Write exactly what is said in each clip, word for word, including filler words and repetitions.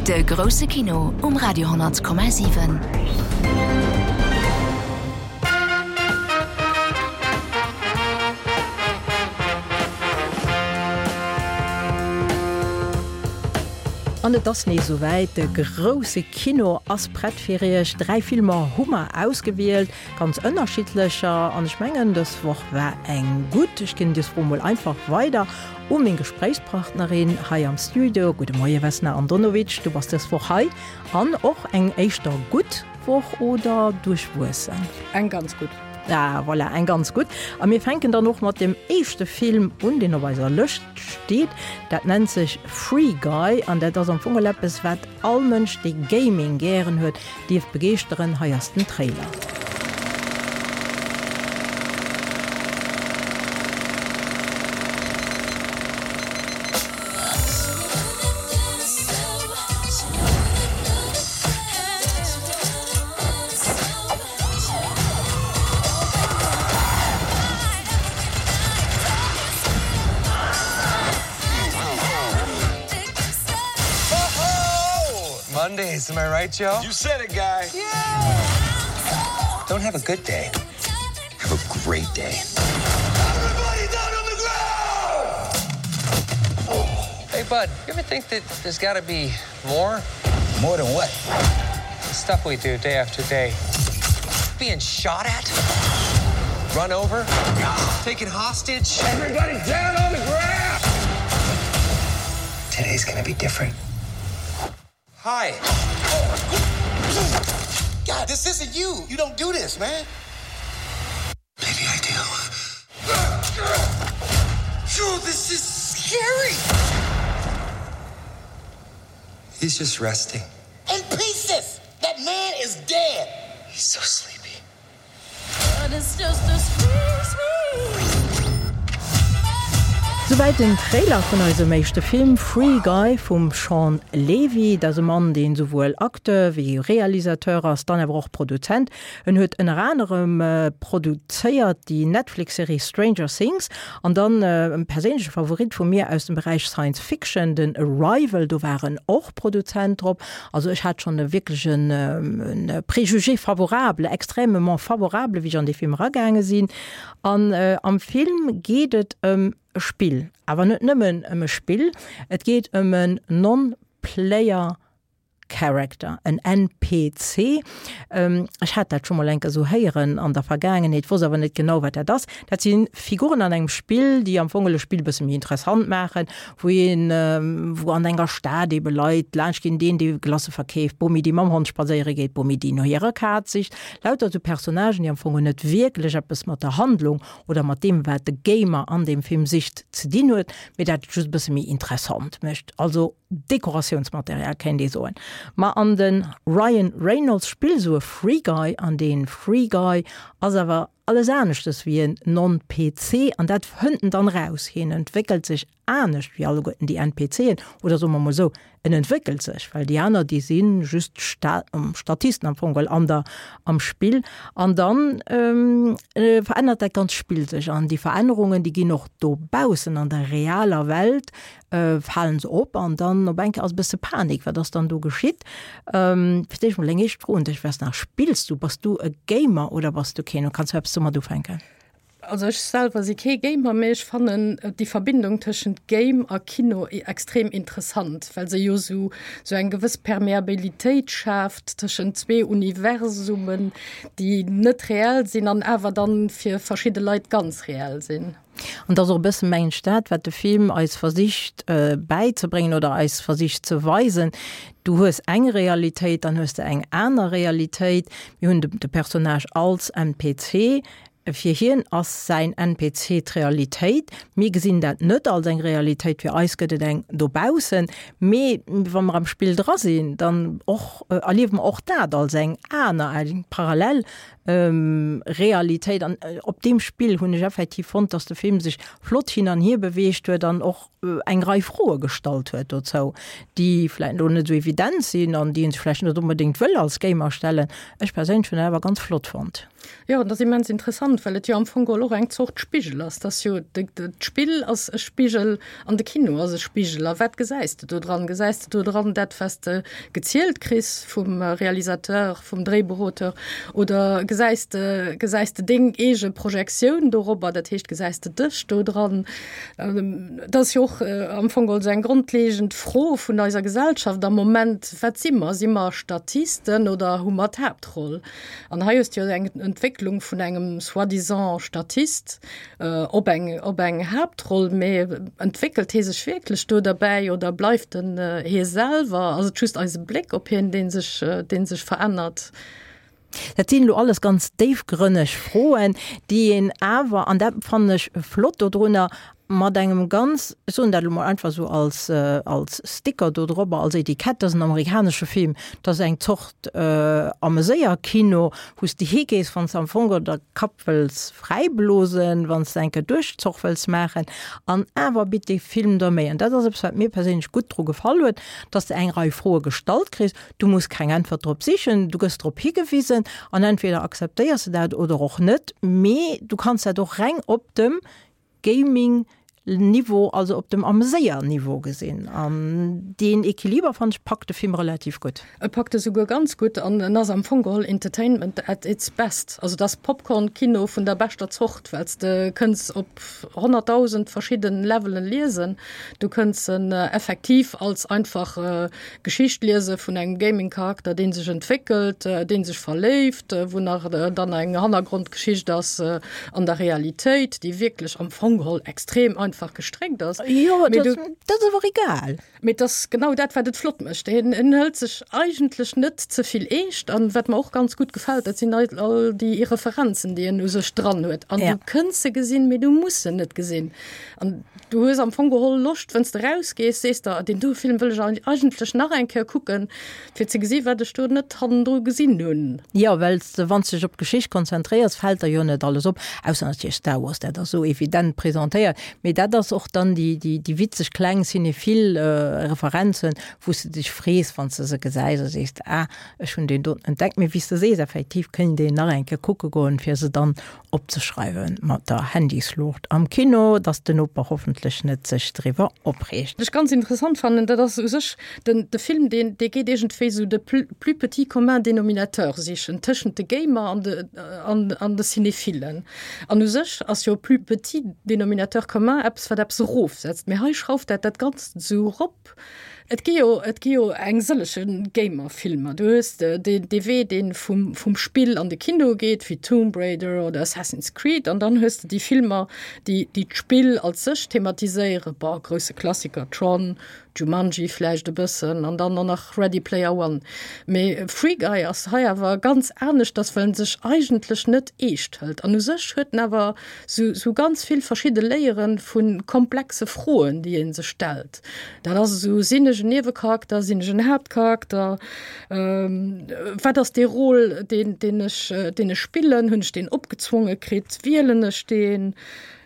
De grousse Kino um Radio honnert Komma siwen. An et ass nees esouwäit, de grousse Kino ass prett fir iech. Dräi Filmer hu mer ausgewielt, ganz ënnerschiddlecher. An ech mengen, dës Woch war eng gutt. Ech ginn dës Fro mol einfach weider u meng Gespréichspartnerin hei am Studio. Gudde Moie Vesna Andonovic, du bass dës Woch hei. An och eng éischter gutt Woch oder duerchwuessen? Eng ganz gutt. Ah, voilà, eng ganz gutt. A mir fänken dann och mat dem éischte Film un, deen op eiser Lëscht steet. Dat nennt sech Free Guy an dat ass am Fong eppes, wat all Mënsch, dee Gaming gären huet, dierft begeeschteren. Hei ass den Trailer. Mondays, am I right, Joe? You said it, guy. Yeah! Don't have a good day. Have a great day. Everybody down on the ground! Hey, bud, you ever think that there's gotta be more? More than what? The stuff we do day after day. Being shot at? Run over? Taken hostage? Everybody down on the ground! Today's gonna be different. Hi. God, this isn't you. You don't do this, man. Maybe I do. Joe, this is scary. He's just resting. In pieces! That man is dead. He's so sleepy. But it's just a sweet, sweet. Souwäit den Trailer vun eisem éischte Film Free Guy vum Shawn Levy. Dat ass e Mann, deen souwuel Acteur wéi Realisateur ass, dann awer och Produzent. En huet ënner anerem produzéiert déi Netflix-Serie Stranger Things an dann e perséinleche Favorit vu mir aus dem Beräich Science Fiction, den Arrival, do war en och Produzent drop. Also ech hat schonn e wierklech en Préjugé favorable, extrêmement favorable, wéi ech an dee Film eragaange sinn. An am Film geet et ëm e Spill, awer net nëmmen ëm e Spill, et geet ëm en Non-Player Character, en N P C. Ech hat dat scho mol eng Kéier esou héieren an der Vergaangenheet, wosst awer net genau, wat dat ass. Dat si Figuren an engem Spill, déi am Fong e Spill e bësse méi interessant maachen, wou een, wou an enger Stad ebe Leit laanscht ginn, deen, dee Glacë verkeeft, d'Bomi, déi mam Hond spadséiere geet, d'Bomi, déi no hirer Kaz sicht. Lauter esou Personnagen, déi am Fong net wierklech eppes mat der Handlung oder mat deem, wat de Gamer an deem Film sicht, ze dinn huet, mee dat et just e bësse méi interessant mécht. Also Dekoratiounsmaterial, kéint ee soen. Ma an de Ryan Reynolds spillt esou e Free Guy an dee Free Guy ass awer alles aneschtes wéi en Non-P C an dat fënnt en dann raus. Hien entwéckelt sech anescht wéi alleguerten déi N P Cen, oder soe mer mol esou, en entwéckelt sech, well déi aner, déi si just Statisten am Fong geholl an der, am Spill. An dann verännert dat ganzt Spill sech an déi Verännerungen, déi ginn och dobaussen an der realer Welt, falen se op an dann op eng Kéier ass e bësse Panik, wat ass dann do geschitt? Fir d'éischt mol eng éischt Fro un dech, Vesna, spills du, bass du e Gamer oder bass du keen? Kanns du eppes domat ufänken? Also ech selwer si kee Gamer, mee ech fannen déi Verbindung tëschent Game a Kino extrem interessant, well se jo sou sou eng gewëss Permeabilitéit schaaft tëschent zwee Universumen, déi net reell sinn an awer dann fir verschidde Leit ganz reell sinn. An dat ass och e bësse mengen ech dat, wat de Film eis versicht bäizebréngen oder eis versicht ze weisen. Du hues eng Realitéit, dann hues de eng aner Realitéit. Mir hunn de Personnage als N P C. Fir hien ass säin N P C d'Realitéit. Mir gesinn dat net als eng Realitéit, fir eis gëtt et eng dobaussen. Mee wa mer am Spill dra sinn, dann och erliewe mer och dat als eng aner, eng parallel Realitéit. An op deem Spill hunn ech effektiv fonnt, dass de Film sech flott hin an hier beweegt huet an och eng Rei Froe gestallt huet dozou, déi vläicht elo net esou evident sinn an déi een sech vläicht net onbedéngt wëll als Gamer stellen. Ech perséinlech hunn en awer ganz flott fonnt. Jo, dat ass immens interessant, well et jo am Fong geholl och eng Zort Spigel ass. Dat ass jo, d'Spill ass e Spigel an de Kino ass e Spigel. A wat gesäis de do dran? Gesäis de do dran dat, wat s de gezielt kriss vum Realisateur, vum Dréibuchauteur oder gesäis de, gesäis de deng eege Projektioun dorobber, dat heescht, gesäis de dech do dran? Dat ass jo och am Fong geholl esou eng grondlegend Fro vun eiser Gesellschaft am Moment, Wat si mer? Si mer Statisten oder hu mer d'Haaptroll? An hei hues de jo eng Entwécklung vun engem soi-disant Statist op eng, op eng Haaptroll, mee entwéckelt hie sech wierklech do derbäi oder bleift en hie selwer? Ass et just eise Bléck op hien, dee sech, dee sech verännert? Dat sinn elo alles ganz déifgrënneg Froen, déi een awer, an dat fannen ech flott dodrunner, mat engem ganz, ech soen dat elo mol einfach esou als, als Sticker do drobber, als Etikett, dat ass en amerikanesche Film, dat ass eng Zort Ameséierkino, wou s de higees, wann s de am Fong geholl der Kapp wëlls fräiblosen, wann s de eng Kéier Duerchzoch wëlls maachen. An awer bitt dee Film der méi. An dat ass eppes, wat mir perséinlech gutt dru gefall huet, dass de eng Rei Froe gestallt kriss, du muss keng Äntwert drop sichen, du gëss drop higewisen an entweder akzeptéiers de dat oder och net, mee du kanns dat och reng op dem Gaming Niveau, also op dem Ameséier-Niveau gesinn. An deen Equiliber, fannen ech, packt de Film relativ gutt. E packt e souguer ganz gutt an en ass am Fong geholl Entertainment at its best. Also et ass Popcorn-Kino vun der beschter Zort, well s de kënns op honnertdausend verschidden Levelen liesen. Du kënns en effektiv als einfach Geschicht liese vun engem Gaming-Charakter, dee sech entwéckelt, dee sech verléift, wou nach dann eng Hannergrondgeschicht ass an der Realitéit, déi wierklech am Fong geholl extrem einfach gestréckt ass. Jo, dat ass awer egal. Mee et ass genau dat, wat et flott mécht. En hëlt sech eigentlech net ze vill eescht. An wat mer och ganz gutt gefält, dat sinn all déi Referenzen, déi en u sech dran huet. An du kënns se gesinn, mee du muss se net gesinn. An du hues am Fong geholl Loscht, wann s de rausgees, sees der, deen do Film wëll ech eigentlech nach eng Kéier kucken, fir ze gesi wat ech do net hannendru gesinn hunn. Jo, well s de, wann s de dech op d'Geschicht konzentréiers, fält der jo net alles op, ausser natierlech Star Wars, dat ass esou evident presentéiert. Mee dat ass och dann déi, déi, déi witzeg kleng cinephil Referenzen, wou s de dech frees, wann s de se gesäis a sees, ah, ech hunn deen doten entdeckt. Mee wéi s de sees, effektiv kéint een nach eng Kéier kucke goen, fir se dann opzeschreiwen mat der Handysluucht am Kino, dass den Noper hoffentlech net sech driwwer opreegt. Wat ech ganz interessant fannen, dat ass u sech den, de Film, deen, dee geet iergendwéi esou de plus petit commun dénominateur sichen tëschent de Gamer an de, an, an de Cinéphilen. An u sech ass jo plus petit dénominateur commun eppes, wat eppes erofsetzt, mee hei schrauft dat dat Ganzt esou erop. Et gi jo, et gi jo eng sëllege Gamer-Filmer. Du hues dee, dee Wee, dee vum, vum Spill an de Kino geet, wéi Tomb Raider oder Assassin's Creed. An dann hues de déi Filmer, déi, déi d'Spill als sech thematiséieren, bon, grousse Klassiker, Tron, Jumanji vläicht e bëssen an dann och nach Ready Player One. Mee Free Guy ass hei awer ganz aneschters, well en sech eigentlech net eescht hëlt. An u sech huet en awer sou, sou ganz vill verschidde Layere vu komplexe Froen, déi ee sech stellt. Dat ass esou, Sinn ech en Niewecharakter, sinn ech en Haaptcharakter, wat ass dee Rôle, deen, deen ech, deen ech spillen, hunn ech deen opgezwonge kritt, wielen ech deen?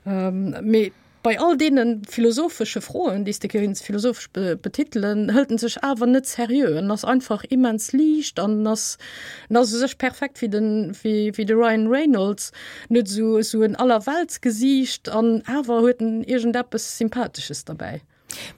Mee bei all deene philosophesche Froen, déi s de kéints philosophesch betitelen, hëlt en sech awer net seriö. En ass einfach immens liicht an en ass, en ass u sech perfekt wéi den, wéi, wéi de Ryan Reynolds. En huet esou, esou en Allerweltsgesiicht an awer huet en iergendeppes Sympathesches derbäi.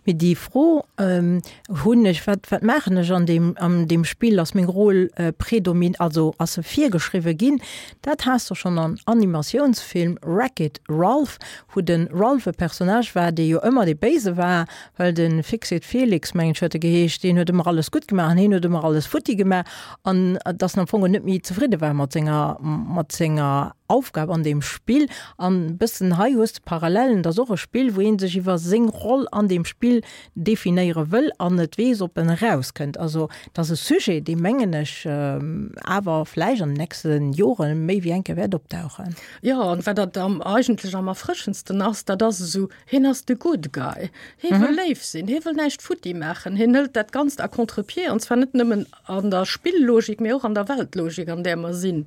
Mee déi Fro hunn ech, wat, wat maachen ech an deem, an deem Spill, ass meng Rôle predomin, also ass se virgeschriwwe ginn? Dat has de schonn am Animatiounsfilm Wreck-It Ralph, wou de Ralph e Personnage war, dee jo ëmmer dee Béise war, well de Fix-It Felix, mengen ech huet e geheescht, deen huet ëmmer alles gutt gemaach an hien huet ëmmer alles futti gemaach an dass en am Fong net méi zefridde war mat senger, mat senger Aufgab an deem Spill. An e bëssen hei hues de Parallellen, et ass och e Spill, wou ee sech iwwer seng Roll an deem Spill definéiere wëll an net weess, ob en erauskënnt. Also et ass e Sujet, dee mengen ech awer vläicht an den nächste Jore méi wéi eng Kéier wäert opdauchen. Jo, an wat dat am eigentlech am erfrëschendsten ass, dat ass esou, hien ass de good guy, hie wëll léif sinn, hie wëll näischt futti maachen, hien hëlt dat Ganzt à contre-pied, an zwar net nëmmen an der Spilllogik, mee och an der Weltlogik, an där mer sinn.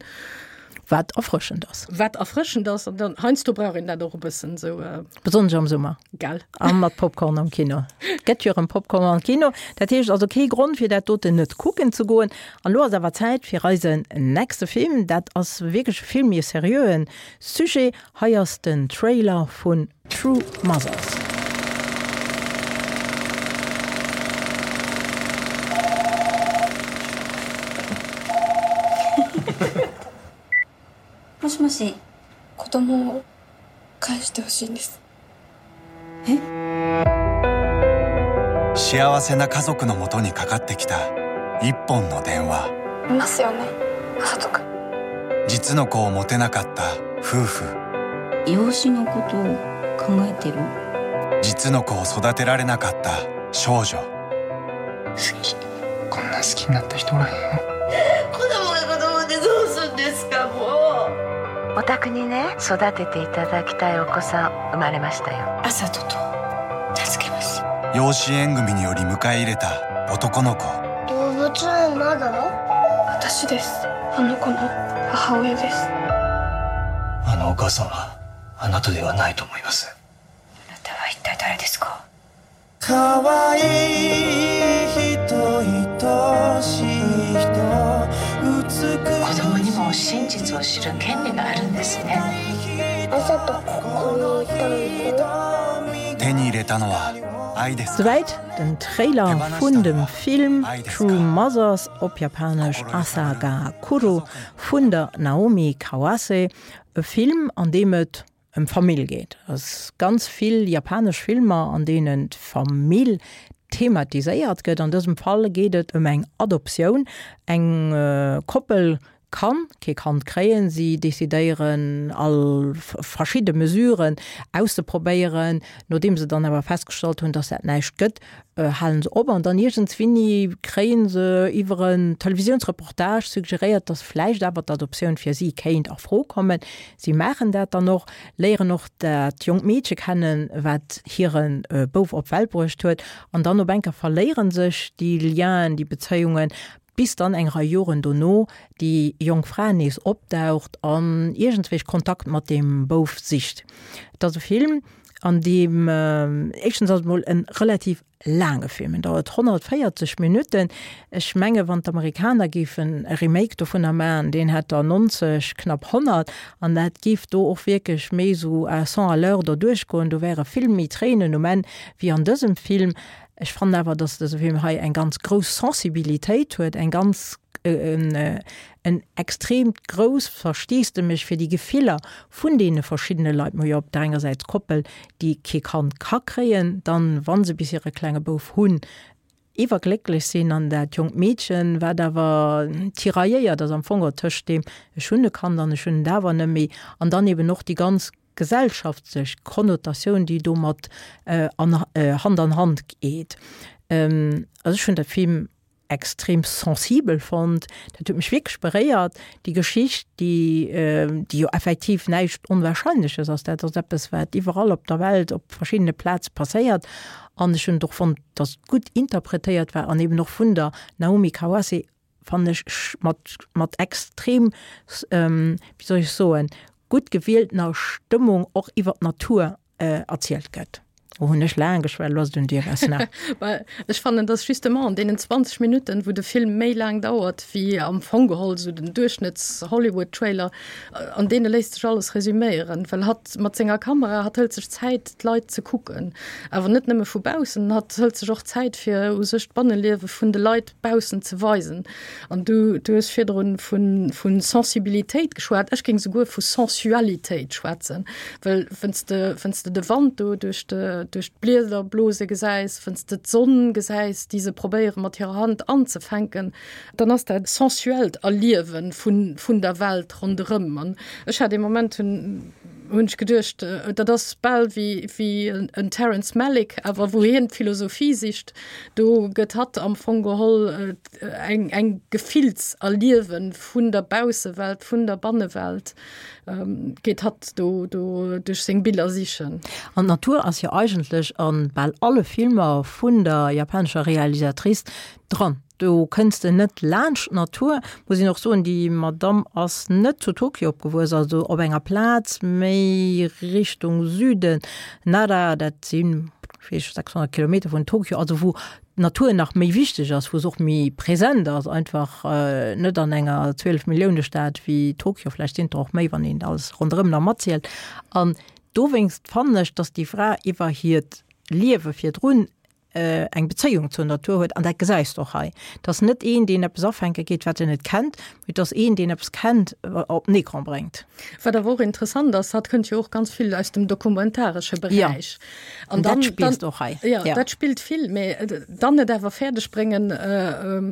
Wat erfrëschend ass. Wat erfrëschend ass, an dann heiansdo brauch een dat och e bëssen esou. Besonnesch am Summer. Gell. A mat Popcorn am Kino. Gëtt jo erëm Popcorn am Kino. Dat heescht also kee Grond fir dat doten net kucken ze goen. An elo ass awer Zäit fir eisen nächste Film. Dat ass wierklech e vill méi seriöen Sujet. Hei ass den Trailer vun True Mothers. もしもし子供を返してほしいんですえ幸せな家族のもとにかかってきた一本の電話いますよねあさと君実の子を持てなかった夫婦養子のことを考えてる実の子を育てられなかった少女好きこんな好きになった人おらへんよ子供が子供でどうすんですかもうお宅にね育てていただきたいお子さん生まれましたよあさとと名付けます養子縁組により迎え入れた男の子動物園まだ私ですあの子の母親ですあのお母さんはあなたではないと思いますあなたは一体誰ですかかわいい人愛しい人子供にも真実を知る権利があるんですねあさとここにいたの手に入れたのは愛です Souwäit den Trailer vun dem Film True Mothers, op Japanesch Asa ga Kuru, vun der Naomi Kawase. E Film, an deem et ëm Famill geet. Et ass ganz vill japanesch Filmer, an deenen d'Famill thematiséiert gëtt. An dësem Fall geet et ëm eng Adoptioun. Eng Koppel kann kee Kand kréien, si decidéieren all verschidde Mesuren auszeprobéieren. Nodeem se dann awer festgestallt hunn, dass dat näischt gëtt, halen se op an dann iergendswinni kréien se iwwer en Televisiounsreportage suggeréiert, dass vläicht awer d'Adoptioun fir si kéint a Fro kommen. Si maachen dat dann och, léieren och dat jonkt Meedche kennen, wat hire Bouf op d'Welt bruecht huet an dann op eng Kéier verléiere sech déi Lienen, déi Bezéiungen, bis dann eng Rei Joren dono déi jonk Fra nees opdaucht an iergendswéi Kontakt mat deem Bouf sicht. Et ass e Film, an deem, éischtens ass et mol e relativ laange Film, en dauert honnertvéierzeg Minutten. Ech menge wann d'Amerikaner géifen e Remake dovunner maachen, deen hätt der nonzeg, knapp honnert, an dat géif do och wierklech méi esou à cent à l'heure doduerch goen, do wäre vill méi Tréinen um Enn wéi an dësem Film. Ech fannen awer, dass dëse Film hei eng ganz grouss Sensibilitéit huet, eng ganz, en extreemt grousst Versteesdemech fir déi Gefiller vun deene verschiddene Leit. Mer hu jo op der enger Säit d'Koppel, déi kee Kand ka kréien, dann, wa se bis hire klenge Bouf hunn, iwwerglécklech sinn, an dat jonkt Meedchen, wat awer tirailléiert ass am Fong och tëscht deem, ech hunn e Kand an ech hunn et awer net méi, an dann eben och déi ganz gesellschaftlech Konnotatioun, déi domat Hand an Hand geet. Also ech hunn de Film extrem sensibel fonnt, dat huet mech wierklech beréiert, déi Geschicht, déi déi jo effektiv näischt Onwahrscheinleches ass, dat ass eppes, wat iwwerall op der Welt op verschiddene Plaze passéiert. An ech hunn et och fonnt, datt et gutt interpretéiert war an eben och vun der Naomi Kawase, fannen ech, mat mat extrem, wéi soll ech soen, gutt gewieltener Stëmmung och iwwer d'Natur erzielt gëtt. Lo hunn ech laang geschwat, elo ass et un dir, Vesna. Ech fannen, dass justement an deenen zwanzeg Minutten, wou de Film méi laang dauert wéi am Fong geholl esou den Duerchschnëtts-Hollywood-Trailer, an deene léisst sech alles resüméieren, well hatt mat senger Kamera, hatt hëlt sech Zäit, d'Leit ze kucken, awer net nëmme vu baussen, hatt hëlt sech och Zäit, fir u sech d'Banneliewe vun de Leit baussen ze weisen. An du, du hues virdrun vu, vu Sensibilitéit geschwat, ech géing souguer vu Sensualitéit schwätzen, well wann s de, wann s de de Wand do duerch de, duerch d'Blieder blose gesäis, wann s de d'Sonn gesäis, déi se probéiere mat hirer Hand anzefänken, dann ass dat sensuellt Erliewe vun, vun der Welt ronderëm. An ech hat ee Moment, hunn, hunn ech geduecht, dat ass bal wéi, wéi en Terrence Malick, awer wou hien d'Philosophie sicht, do gëtt hatt am Fong geholl eng, eng Gefillserliewe vun der Baussewelt, vun der Bannewelt, geet hatt do, do duerch seng Biller sichen. An d'Natur ass jo eigentlech a bal alle Filmer vun der japanescher Realisatrice dran. Do kënns de net laanscht d'Natur. Muss een och soen, déi Madamm ass net zu Tokio opgewuess, also op enger Plaz méi Richtung Süden, Nara, dat sinn, ech weess, sechshonnert Kilometer vun Tokio, also wou d'Natur nach méi wichteg ass, wou se och méi present ass, einfach net an enger Zwielef-Millioune-Stad wéi Tokio, vläicht sinn et der och méi, wann een alles ronderëm nach matzielt. An dowéinst fannen ech, dass déi Fra iwwer hiert Liewe virdrun eng Bezéiung zur Natur huet, an dat gesäis de och hei. Et ass net een, deen eppes afänke geet, wat en net kennt, mee et ass een, deen eppes kennt, op den Ecran bréngt. Wat awer och interessant ass, hatt kënnt jo och ganz vill aus dem dokumentaresche Beräich. An dat spills de och hei. Jo, dat spillt vill, mee dann et awer fäerdeg bréngen,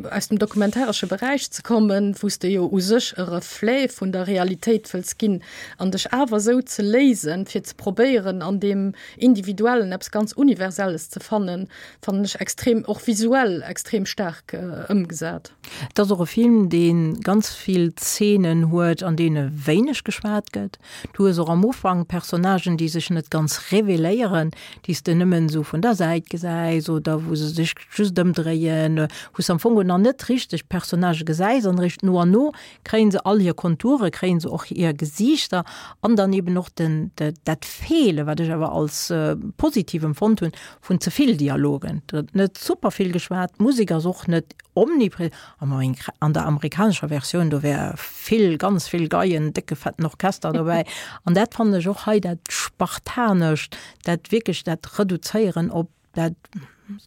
aus dem dokumentaresche Beräich ze kommen, wou s de jo u sech e Reflet vun der Realitéit wëlls ginn, an dech awer esou ze léisen, fir ze probéieren, an deem Individuellen eppes ganz Universelles ze fannen, fannen ech extrem, och visuell extrem staark ëmgesat. Et ass och e Film, dee ganz vill Zeenen huet, an deene wéineg geschwat gëtt. Du hues och am Ufank Personnagen, déi sech net ganz reveléieren, déi s de nëmmen esou vun der Säit gesäis oder wou se sech just ëmdréien, wou s de am Fong nach net richteg d'Personnagë gesäis an eréischt no an no kréie se all hir Konture, kréie se och hir Gesiichter an dann eben och den, dat Feele, wat ech awer als positiv empfonnt hunn, vun ze vill Dialogen. Et gëtt net super vill geschwat, d'Musek ass och net omniprä, an der amerikanescher Versioun, do wär vill, ganz vill Geien, décke fetten Orchester dobäi. An dat fannen ech och hei, dat Spartanescht, dat wierklech dat Reduzéieren op dat,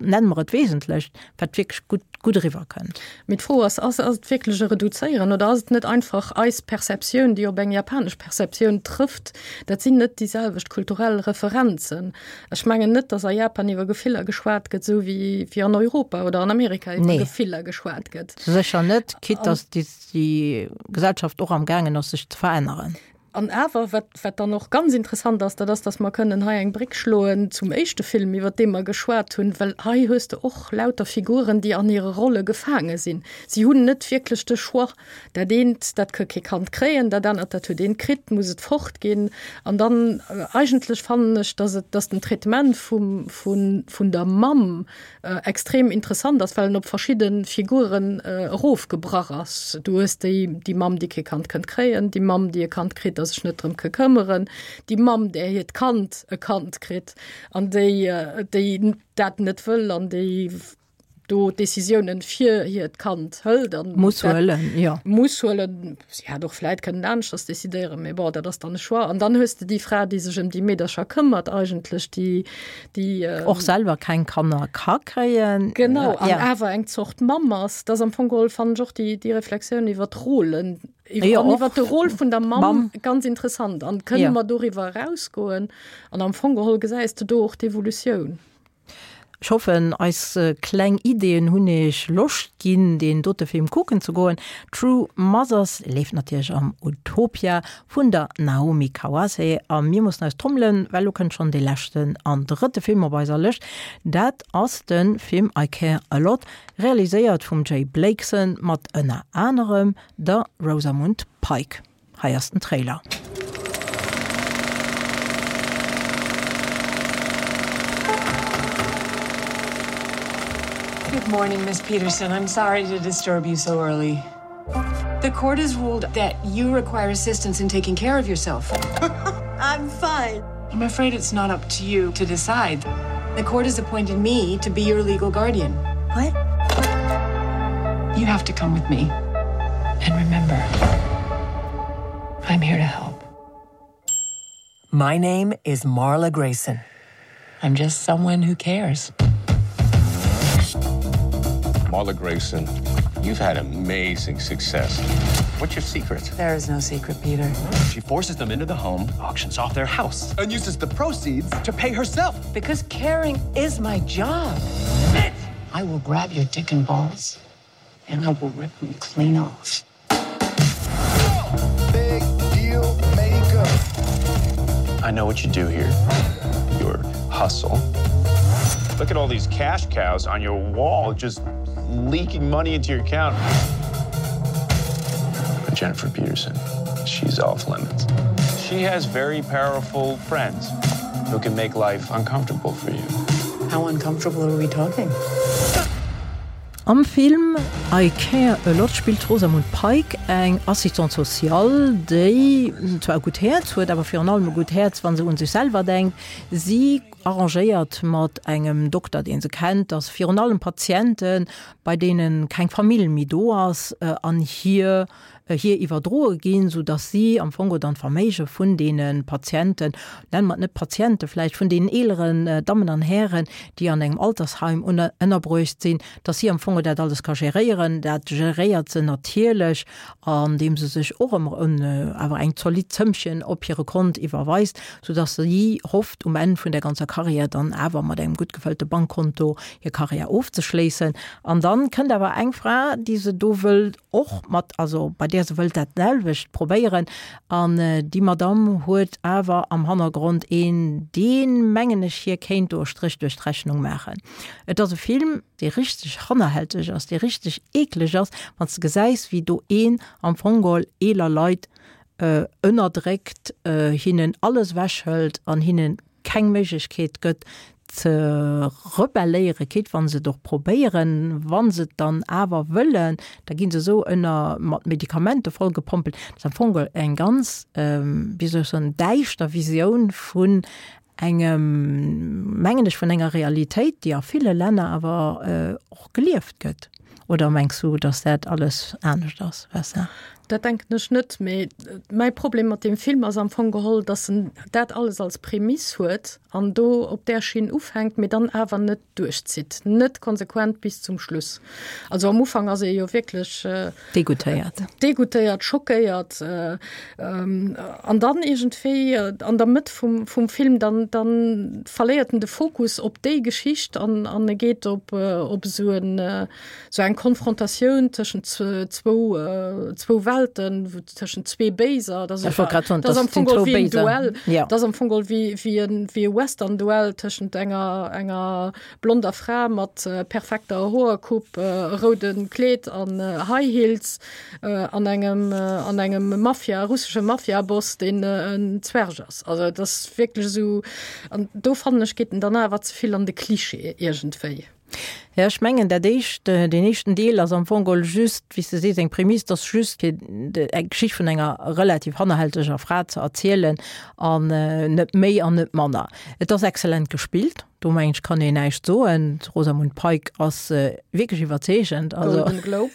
nenne mer et Wesentlecht, wat wierklech gutt, gutt eriwwerkënnt. Mee d'Fro ass, ass et wierklech e Reduzéieren oder ass et net einfach eis Perceptioun, déi op eng japanesch Perceptioun trëfft? Dat sinn net déi selwecht kulturell Referenzen. Ech mengen net, datt a Japan iwwer Gefiller geschwat gëtt, esou wéi wéi an Europa oder an Amerika iwwer Gefiller geschwat gëtt. Sécher net, quitte datt déi Gesellschaft och amgaangen ass, sech ze veränneren. An awer, wat, wat dann och ganz interessant ass, dat ass, dass mer kënnen hei eng Bréck schloen zum éischte Film, iwwert dee mer geschwat hunn, well hei hues de och lauter Figuren, déi an hire Rolle gefaange sinn. Si hunn net wierklech de Choix. Dat eent, dat ka kee Kand kréien, dat anert, dat huet eent kritt, muss et fortginn. An dann eigentlech fannen ech, dass et, dass den Traitement vum, vun, vun der Mamm, extrem interessant ass, well en op verschidde Figuren erofgebrach ass. Du hues déi, déi Mamm, déi kee Kand kënnt kréien, déi Mamm, déi e Kand kritt a sech net drëm ka këmmeren, déi Mamm, där hiert Kand e Kand kritt an déi, déi dat net wëll an déi do Decisiounen fir hiert Kand hëlt an muss huelen, jo. Muss huelen. Si hätt och vläit kënnen aneschters decidéieren, mee bon, dat ass dann e Choix. An dann hues de déi Fra, déi sech ëm déi Meedercher këmmert eigentlech, déi, déi. Och selwer keng Kanner ka kréien. Genau, an awer eng Zort Mamm ass. Dat ass am Fong geholl, fannen ech, och déi, déi Reflexioun iwwer d'Rôlen, iwwer, an iwwer de Rôle vun der Mamm ganz interessant. An kënne mer doriwwer erausgoen? An am Fong geholl gesäis de do och d'Evolutioun. Ech hoffen eis kleng Ideeën hunn iech Loscht ginn deen dote Film kucken ze goen. True Mothers leeft natierlech am Utopia vun der Naomi Kawase a mir mussen eis trommelen, well lo kënnt schonn dee leschten an drëtte Film op eiser Lëscht. Dat ass de Film I Care A Lot, realiséiert vum Jay Blakeson mat ënner anerem der Rosamund Pike. Hei ass den Trailer. Good morning, Miss Peterson. I'm sorry to disturb you so early. The court has ruled that you require assistance in taking care of yourself. I'm fine. I'm afraid it's not up to you to decide. The court has appointed me to be your legal guardian. What? You have to come with me. And remember, I'm here to help. My name is Marla Grayson. I'm just someone who cares. Marla Grayson, you've had amazing success. What's your secret? There is no secret, Peter. She forces them into the home, auctions off their house, and uses the proceeds to pay herself. Because caring is my job. Bitch! I will grab your dick and balls and I will rip them clean off. Big deal maker. I know what you do here. Your hustle. Look at all these cash cows on your wall just leaking money into your account. But Jennifer Peterson, she's off limits. She has very powerful friends who can make life uncomfortable for you. How uncomfortable are we talking? Am Film I Care a Lot spillt d'Rosamund Pike eng Assistante sociale, déi zwar e gutt Häerz huet, awer virun allem e gutt Häerz, wa se un sech selwer denkt. Si arrangéiert mat engem Dokter, dee se kennt, dass virun allem Patienten, bei deene keng Famill méi do ass, an hir hir iwwerdroe ginn, sou dass si am Fong dann d'Verméige vun deene Patienten, nenne mer et net Patiente vläicht, vun deenen eeleren Dammen an Hären, déi an engem Altersheim ënnerbruecht sinn, dass si am Fong dat alles ka geréieren. Dat geréiert se natierlech, andeem se sech och ëmmer awer eng zolidd Zëmmchen op hire Kont iwwerweist, sou dass si hofft, um Enn vun der ganzer Karriär dann awer mat engem gutt gefëllte Bankkonto hir Karriär ofzeschléissen. An dann kënnt awer eng Fra, déi se do wëll och mat, also bei där se wëllt dat selwecht probéieren, an déi Madamm huet awer am Hannergrond een, deen, mengen ech, hir kéint do e Stréch duerch d'Rechnung maachen. Et ass e Film, dee richteg hannerhälteg ass, dee richteg eekleg ass, wann s de gesäis, wéi do een am Fong geholl eeler Leit ënnerdréckt, hinnen alles ewechhëlt an hinnen keng Méiglechkeet gëtt ze rebelléieren, quitte wa se et och probéieren, wa se et dann awer wëllen, da gi se esou ënner mat Medikamenten vollgepompelt. Dat ass am Fong geholl eng ganz, wéi soll ech soen, däischter Visioun vun engem, mengen ech, vun enger Realitéit, déi a ville Länner awer och gelieft gëtt. Oder mengs du, datt dat alles anescht ass, Vessa? Dat denken ech net, mee mäi Problem mat deem Film ass am Fong geholl, datt en dat alles als Prämiss huet an do op där Schinn ufänkt, mee dann awer net duerchzitt, net konsequent bis zum Schluss. Also am Ufank ass ee jo wierklech. Degoûtéiert. Degoûtéiert, schockéiert an dann iergendwéi an der Mëtt vum, vum Film, dann, dann verléiert en de Fokus op déi Geschicht an, an e geet op, op esou en, esou eng Konfrontatioun tëschent zwou, zwou Welten, tëschent zwee Béiser. Dat Ech wollt grad soen, ass dat am sinn Fong geholl zwou wéi en Béiser. Duell. Ja. Dat ass am Fong geholl wéi, wéi en, wéi e Western-Duell tëschent enger, enger blonder Fra mat perfekter Hoercoupe, rouden Kleed an High Heels an engem, an engem Mafia, russesche Mafia-Boss, deen en Zwerg ass. Also et ass wierklech esou, an do fannen ech, geet en dann awer ze vill an de Klischee iergendwéi. Jo, ech mengen dat éischt, deen éischten Deel ass am Fong geholl just, wéi s de sees, eng Prämiss, dass just fir eng Geschicht vun enger relativ hannerhälteger Fra ze erzielen an net méi an net manner. Et ass exzellent gespillt, do mengen ech kann een näischt soen. D'Rosamund Pike ass wierklech iwwerzeegend, also Golden Globe.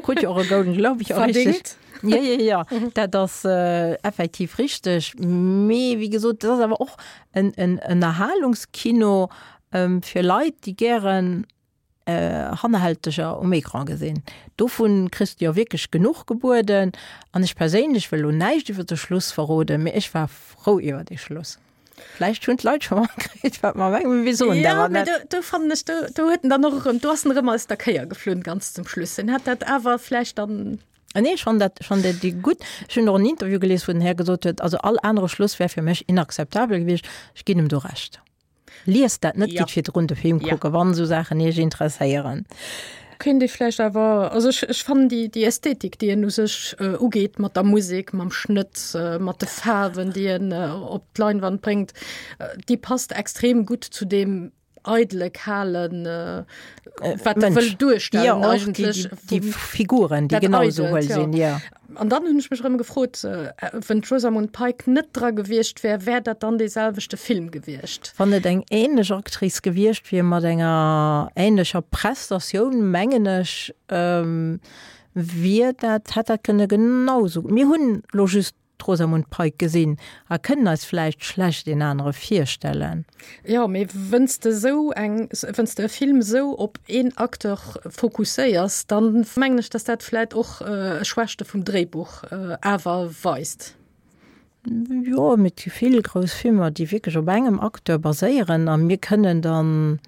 krut jo och e Golden Globe, jo richteg. Verdingt. Jo, jo, jo, dat ass effektiv richteg. Mee wéi gesot, dat ass awer och en Ënnerhalungskino fir Leit, déi gären Hannerhälteger um Ecran gesinn. Dovun kriss de jo wierklech genuch gebueden. An ech perséinlech wëll elo näischt iwwer de Schluss verroden, mee ech war frou iwwer dee Schluss. Vläicht hunn d'Leit scho matkritt, wat mer mengen, mee mir soen et Jo, awer mee net. do, do fannen ech, do, do huet en dann och erëm, do ass en erëm aus der Kéier geflunn ganz zum Schluss. En hätt dat awer vläicht dann. Nee, ech fannen dat, ech fannen dat gutt. Ech hunn och en Interview gelies, wou den Här gesot huet, also all anere Schluss wär fir mech inakzeptabel gewiescht. Ech ginn em do Recht. Liest dat net, Ja. gitt virdrun de Film Ja. kucken, wann esou Saachen iech interesséieren. Kéint ee vläicht awer, also ech, ech fannen déi, déi Ästhetik, déi en u sech ugeet mat der Musek, mam Schnëtt, mat de Faarwen, déi en op d'Leinwand bréngt, déi passt extrem gutt zu deem eidele, kalen, wat e wëll Mënsch. Ja, duerstellen och déi, eigentlech. déi, déi Figuren, déi Dat genau esou Eidelt, huel ja. sinn, ja. An dann hunn ech mech erëm gefrot, Wenn d'Rosamund Pike net dra gewiescht wär, wär dat dann dee selwechte Film gewiescht? Wann et eng ähnlech Actrice gewiescht wier mat enger ähnlecher Prestatioun, mengen ech, wier dat, hätt dat kënne genau esou. Mir hunn elo just d'Rosamund Pike gesinn a kënnen eis vläicht schlecht een anere virstellen. Jo, mee wënns de esou eng, wënns de e Film esou op een Acteur fokusséiers, dann mengen ech, dass dat vläit och Schwächte vum Dréibuch awer weist. Jo, mee et gi vill grouss Filmer, déi wierklech op engem Acteur baséieren a mir kënnen dann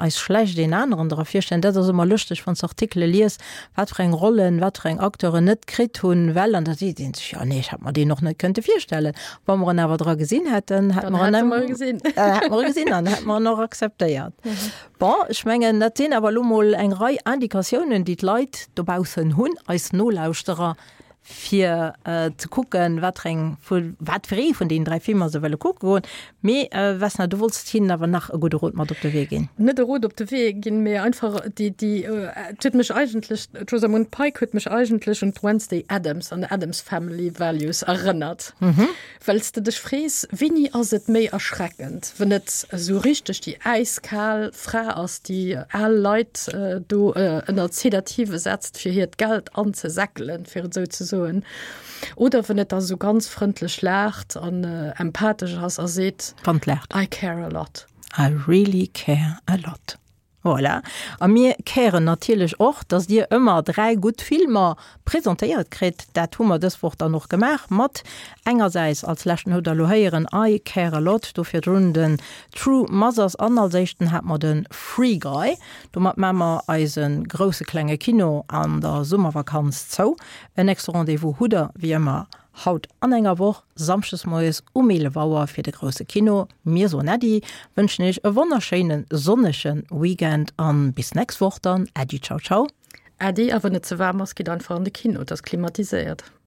eis schlecht een aneren dra virstellen. Dat ass ëmmer lëschteg, wann s de Artikele lies, wat fir eng Rollen, wat fir eng Acteuren net kritt hunn, well, an da seet ee sech, jo nee, ech hätt mer deen och net kënnte virstellen. Wa mer en awer dra gesinn hätten, hätte Dann mer en hätte mer e gesinn. hätte mer e gesinn an hätte mer en och akzeptéiert. Bon, ech mengen, dat sinn awer elo mol eng Rei Indikatiounen, déi d'Leit dobaussen hunn, eis Nolauschterer, fir äh, ze kucken, wat eng wat fir ee vun den dräi Filmer se wëlle kucke goen. Mee äh, Vesna, du wollts hinnen awer nach e gudde Rot mat op de Wee ginn. Net e Rot op de Wee ginn, mee einfach déi déi äh, huet mech eigentlech d'Rosamund Pike huet mech eigentlech un d'Wednesday Addams an Addams Family Values erënnert. Mhm. Well s de dech frees, wéini ass et méi erschreckend, wann et esou richteg déi äiskal Fra ass, déi al Leit äh, do äh, ënner Sedative setzt fir hiert Geld anzesäckelen, fir et esou ze soen. Oder wann et da sou ganz frëndlech laacht an äh, empathesch ass a seet, Wann et laacht. I care a lot. I really care a lot. Voilà. A mir caren natierlech och, dass dir ëmmer dräi gutt Filmer presentéiert kritt. Dat hu mer dës Woch dann och gemaach mat engersäits als leschten hutt der lo héieren I Care a Lot, do virdrun den True Mothers an als éischten hat mer de Free Guy. Domat maache mer eise grousse klenge Kino an der Summervakanz zou. En nächste Rendez-vous hutt der wéi ëmmer haut an enger Woch, samschdes moies um eelef Auer fir de grousse Kino. Mir soen Äddi, wënschen iech e wonnerschéine sonnege Weekend an bis nächst Woch dann. Äddi, ciao, ciao. Äddi, a wann et ze waarm ass, gitt einfach an de Kino, et ass klimatiséiert.